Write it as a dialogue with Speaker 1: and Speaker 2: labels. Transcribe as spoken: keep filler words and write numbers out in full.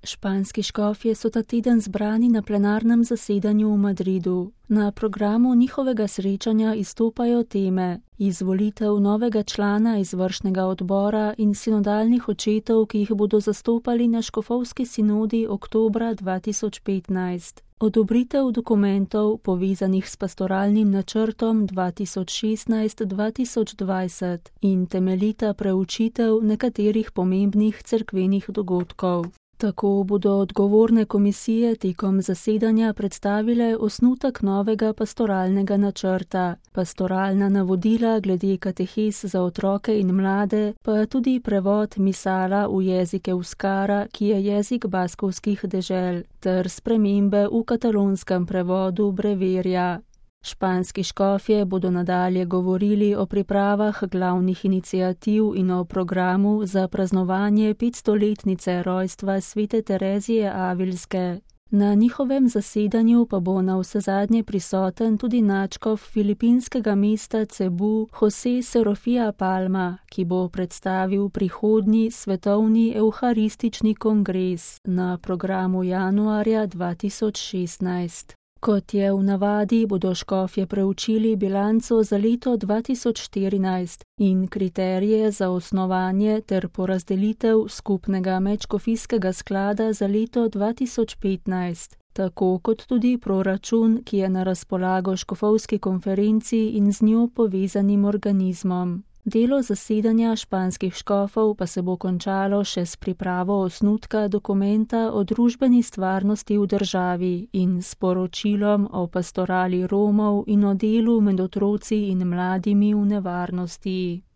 Speaker 1: Španski škofje so ta teden zbrani na plenarnem zasedanju v Madridu. Na programu njihovega srečanja izstopajo teme: izvolitev novega člana izvršnega odbora in sinodalnih očetov, ki jih bodo zastopali na škofovski sinodi oktobra dva tisoč petnajst. Odobritev dokumentov, povezanih s pastoralnim načrtom dva tisoč šestnajst do dva tisoč dvajset in temeljita preučitev nekaterih pomembnih cerkvenih dogodkov. Tako bodo odgovorne komisije tekom zasedanja predstavile osnutek novega pastoralnega načrta, pastoralna navodila glede katehes za otroke in mlade, pa tudi prevod misala v jezik euskara, ki je jezik baskovskih dežel, ter spremembe v katalonskem prevodu breverja. Španski škofje bodo nadalje govorili o pripravah glavnih iniciativ in o programu za praznovanje petstoletnice rojstva svete Terezije Avilske. Na njihovem zasedanju pa bo navsezadnje prisoten tudi nadškof filipinskega mesta Cebu José Serofía Palma, ki bo predstavil prihodnji svetovni evharistični kongres na programu januarja dva tisoč šestnajst. Kot je v navadi, bodo škofje preučili bilanco za leto dva tisoč štirinajst in kriterije za osnovanje ter porazdelitev skupnega medškofijskega sklada za leto dva tisoč petnajst, tako kot tudi proračun, ki je na razpolago škofovski konferenci in z njo povezanim organizmom. Delo zasedanja španskih škofov pa se bo končalo še s pripravo osnutka dokumenta o družbeni stvarnosti v državi in s poročilom o pastorali Romov in o delu med otroci in mladimi v nevarnosti.